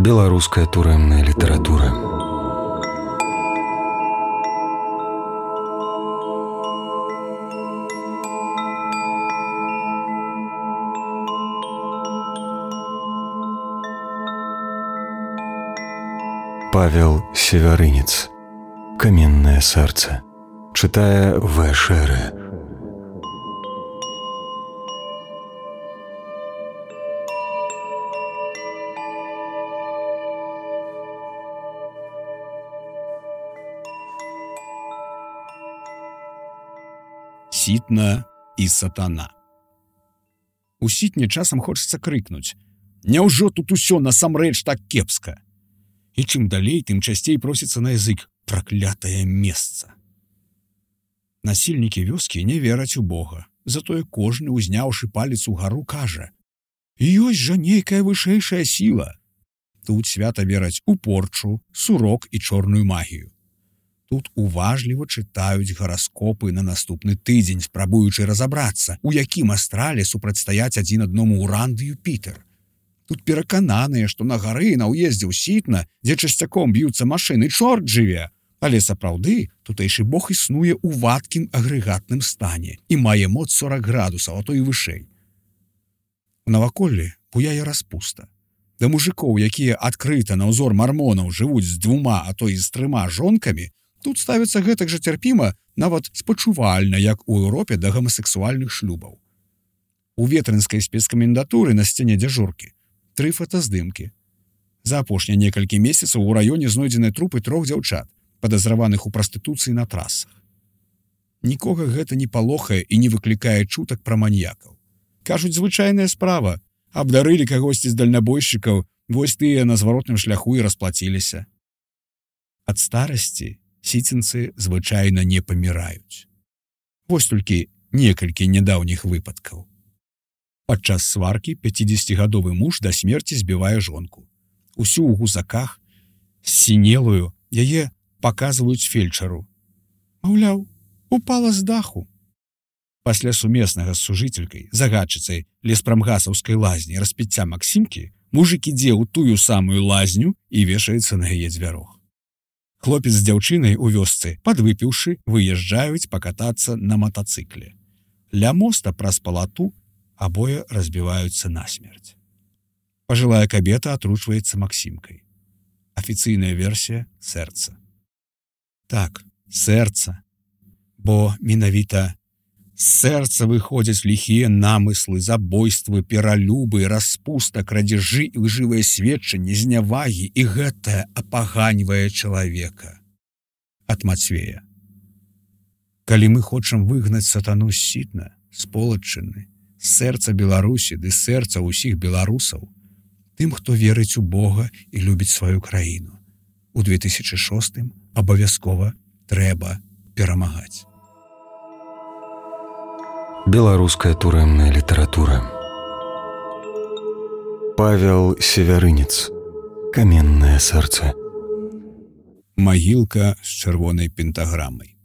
Беларуская турэмная літаратура. Павел Севярынец. «Каменное сердце». Читая В. Шере. Сітна і сатана. У сітне часам хочацца крыкнуць: «Няўжо тут усё насамрэч так кепска?» І чым далей, тым часцей просіцца на язык праклятае месца. Насільнікі вёскі не вераць у Бога, затое кожны, узняўшы палец угару, кажа: «Ёсць жа нейкая вышэйшая сіла». Тут свята вераць у порчу, сурок і чорную магію. Тут уважліва чытаюць гараскопы на наступны тыдзень, спрабуючы разабрацца, у якім астрале супрацьстаяць адзін адному Уран ды Юпітер. Тут перакананыя, што на гары на ўездзе ў Сітна, дзе часцяком б'юцца машыны, чорт жыве. Але сапраўды тутэйшы бог існуе ў вадкім агрэгатным стане і мае моц 40 градусаў, а то і вышэй. У наваколлі буяе распуста. Да мужикоў, якія адкрыта на ўзор мармонаў жывуць з 2, а то і з 3 жонкамі, тут ставіцца гэтак жа цярпіма, нават спачувальна, як у Еўропе да гамасексуальных шлюбаў. У ветрынскай спецкамендатуры на сцяне дзяжуркі 3 фотаздымкі. За апошнія некалькі месяцаў у раёне знойдзены трупы 3 дзяўчат, падазраваных у прастытуцыі на трасах. Нікога гэта не палохае і не выклікае чутак пра маньякаў. Кажуць, звычайная справа. Абдарылі кагосьці з дальнабойшчыкаў, вось тыя на зваротным шляху і расплаціліся. Ад старасці сіцінцы звычайна не паміраюць. Вось толькі некалькі нядаўніх выпадкаў. Падчас сваркі 50гадовы муж да смерці збівае жонку. Усю ў гузаках, сінелую, яе паказваюць фельчару. Маўляў, упала з даху. Пасля сумеснага з сужыцелькай, загадчыцай леспрамгасаўскай лазні распіцця Максімкі, мужик ідзе ў тую самую лазню і вешаецца на яе дзвярох. Хлопец з дзяўчынай у вёсцы, падвыпіўшы, выязджаюць пакатацца на матацыкле. Ля моста праз палату абое разбіваюцца насмерць. Пажылая кабета атручваецца Максімкай. Афіцыйная версія – сэрца. Так, сэрца. Бо менавіта з сэрца выходзяць ліхія намыслы, забойствы, пералюбы, распуста, крадзежы і лжывыя сведчанні, знявагі, і гэтае апаганьвае чалавека. Ад Мацвея. Калі мы хочам выгнаць сатану з Сітна, з Полаччыны, з сэрца Беларусі ды сэрца ўсіх беларусаў, тым, хто верыць у Бога і любіць сваю краіну, у 2006 абавязкова трэба перамагаць. Беларуская турэмная літаратура. Павел Севярынец. «Каменное сердце». Магілка з чырвонай пентаграмай.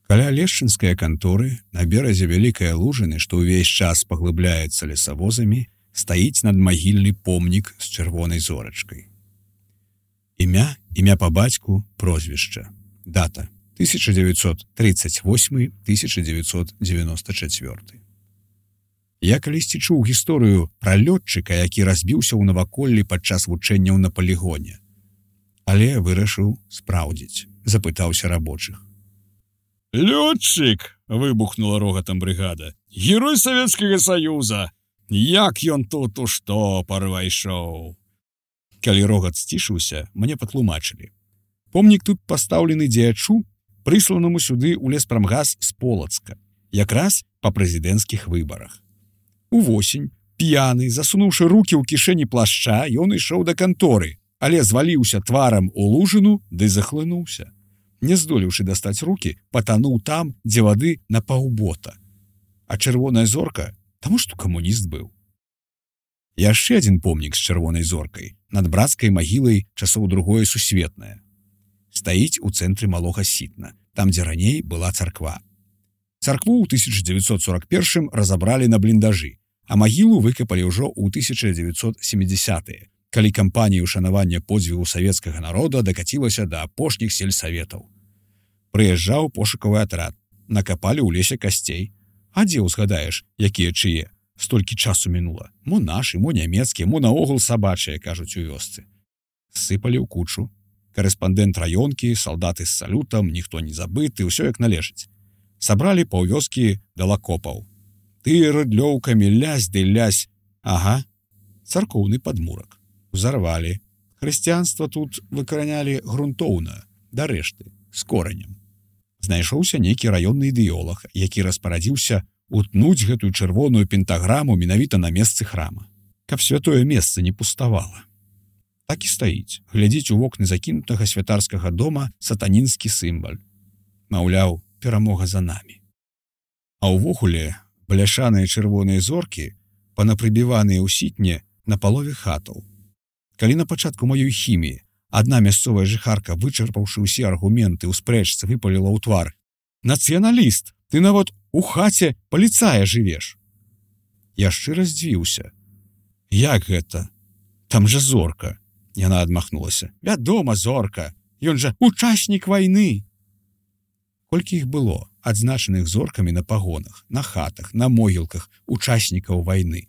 Каля лешчынскай канторы на беразе вялікай лужыны, што ўвесь час паглыбляецца лесавозамі, стаіць надмагільны помнік з чырвонай зорачкай. Імя па бацьку, прозвішча. Дата 1938-1994. Я калісьці чуў гісторыю пра лётчыка, які разбіўся ў наваколлі падчас вучэнняў на палігоне. Але вырашыў спраўдзіць, запытаўся рабочых. «Лётчык!» — выбухнула рогатам брыгада. «Герой Савецкага Саюза! Як ён тут у штопар вайшоў!» Калі рогат сцішыўся, мне патлумачылі. Помнік тут пастаўлены дзеячу, прысланаму сюды ў леспрамгас з Полацка, якраз па прэзідэнцкіх выбарах. Увосень, п'яны, засунуўшы рукі ў кішэні плашча, ён ішоў да канторы, але зваліўся тварам у лужыну ды захлынуўся. Не здолеўшы дастаць рукі, патануў там, дзе вады на паўбота. А чырвоная зорка, таму што камуніст быў. Яшчэ адзін помнік з чырвонай зоркай, над брацкай магілай часоў Другое сусветнае. Стаіць у цэнтры малога Сітна, там, дзе раней была царква. Царкву ў 1941 разабралі на бліндажы, а магілу выкапалі ўжо ў 1970-е, калі кампанія ўшанавання подзвігу савецкага народа дакацілася да апошніх сельсаветаў. Прыязджаў пошукавы атрад, накапалі ў лесе касцей. А дзе ўзгадаеш, якія чые? Столькі часу мінула. Мо нашы, мо нямецкія, мо наогул сабачыя, кажуць у вёсцы. Сыпалі ў кучу. Карэспандэнт раёнкі, салдаты з салютам, ніхто не забыты, ўсё як належыць. Сабралі паўвёскі да лакопаў. Ты рыдлёўкамі лясь ды лясь. Ага, царкоўны падмурак. Узарвалі. Хрысціянства тут выкаранялі грунтоўна, да рэшты, з коранем. Знайшоўся нейкі раённы ідэолаг, які распарадзіўся утнуць гэтую чырвоную пентаграму менавіта на месцы храма, каб святое месца не пуставала. Так і стаіць, глядзіць у вокны закінутага святарскага дома сатанінскі сімвал. Маўляў, перамога за намі. А ўвогуле бляшаныя чырвоныя зоркі панапрыбіваныя ў сітне на палове хатаў. Калі на пачатку маёй хіміі адна мясцовая жыхарка, вычарпаўшы ўсе аргументы ў спрэчцы, выпаліла ў твар: «Нацыяналіст, ты нават у хаце паліцая жывеш!» Я шчыра здзівіўся. «Як гэта? Там жа зорка!» Яна адмахнулася. «Вядома, зорка! Ён жа учаснік вайны!» Колькі іх было, адзначаных зоркамі на пагонах, на хатах, на могілках учаснікаў вайны.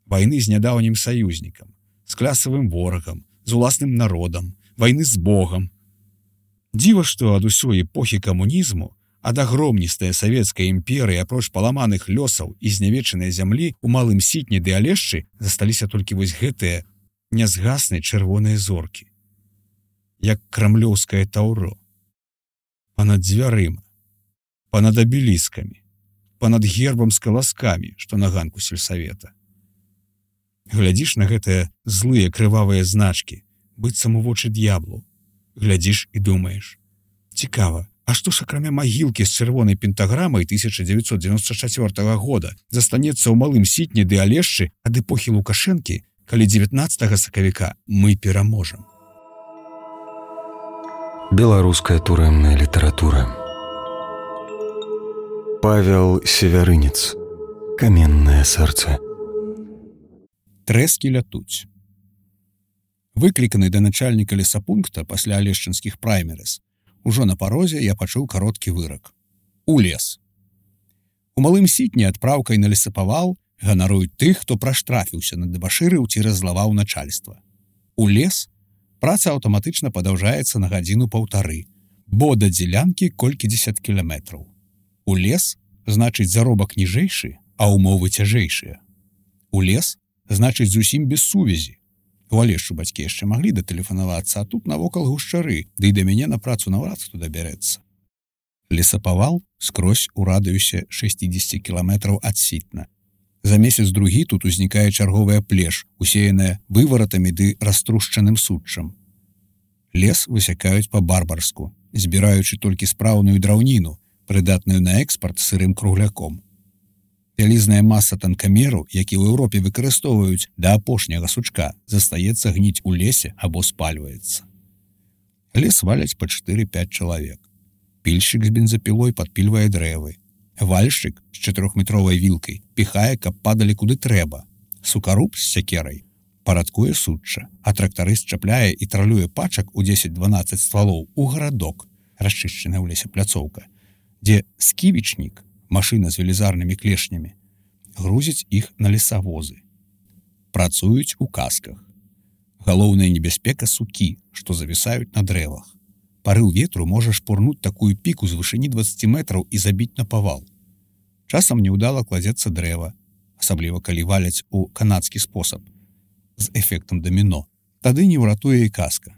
Вайны з нядаўнім саюзнікам, з клясавым ворагам, з уласным народам, вайны з Богам. Дзіва, што ад усёй эпохі камунізму, ад агромністая савецкая імперыя, апроч паламаных лёсаў і знявечанай зямлі, у малым сітні ды алешчы засталіся толькі вось гэтыя нязгасныя чырвоныя зоркі. Як крамлёўскае таўро. Панад дзвярыма, панад абеліскамі, панад гербам з каласкамі, што на ганку сельсавета. Глядзіш на гэтыя злыя крывавыя значкі, быццам у вочы д'яблу. Глядзіш і думаеш: цікава, а што ж акрамя магілкі з чырвонай пентаграмай 1994 года застанецца ў малым сітні ды алешчы ад эпохі Лукашэнкі, калі 19 сакавіка мы пераможам? Беларуская турэмная літаратура. Павел Севярынец. Каменнае сэрца. Трэскі лятуць. Выкліканы да начальніка лесапункта пасля алешчынскіх праймерыс, ужо на парозе я пачуў кароткі вырак. У лес. У малым сітні адпраўкай на лесапавал ганаруюць тых, хто праштрафіўся на дэбашырыў ці раззлаваў начальства. У лес праца аўтаматычна падаўжаецца на гадзіну-паўтары, бо да дзелянкі колькідзесят кіламетраў. У лес значыць заробак ніжэйшы, а ўмовы цяжэйшыя. У лес значыць зусім без сувязі. У Алешчу бацькі яшчэ маглі датэлефанавацца, а тут навокал гушчары, ды і да мяне на працу наўрад хто дабярэцца. Лесапавал скрозь у радыусе 60 кіламетраў ад сітна. За месяц-другі тут узнікае чарговая плеш, усеяная вываратамі ды раструшчаным суччам. Лес высякаюць па-барбарску, збіраючы толькі спраўную драўніну, прыдатную на экспарт сырым кругляком. Вялізная маса танкамеру, які ў Еўропе выкарыстоўваюць да апошняга сучка, застаецца гніць у лесе або спальваецца. Лес валяць па 4-5 чалавек. Пільшчык з бензапілой падпільвае дрэвы. Вальшчык з 4-метровай вілкай піхае, каб падалі куды трэба. Сукаруб з сякерай парадкуе сучча, а трактарыст чапляе і тралюе пачак у 10-12 ствалоў у гарадок, расчышчаная ў лесе пляцоўка, дзе сківічнік, машына з велізарнымі клешнямі, грузіць іх на лесавозы. Працуюць у касках. Галоўная небяспека сукі, што завісаюць на дрэвах. Парыў ветру можа шпурнуць такую піку з вышыні 20 метраў і забіць на павал. Часам неўдала кладзецца дрэва, асабліва калі валяць у канадскі спосаб, з эфектам даміно. Тады не ўратуе і каска.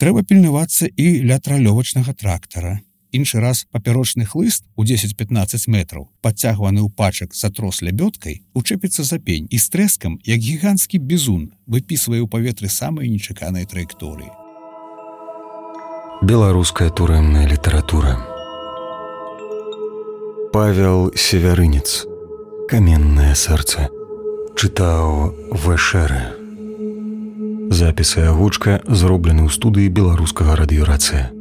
Трэба пільнавацца і ля тралёвачнага трактара. Іншы раз папярочны хлыст у 10-15 метраў, падцягваны ў пачак за трос лябёдкай, учэпіцца за пень і з трэскам, як гіганцкі бізун, выпісвае ў паветры самыя нечаканыя траекторыі. Беларуская турэмная літаратура. Павел Севярынец. Каменнае сэрца. Чытаў Вэшэрэ. Запіс і агучка зроблены ў студыі беларускага радыёрацыя.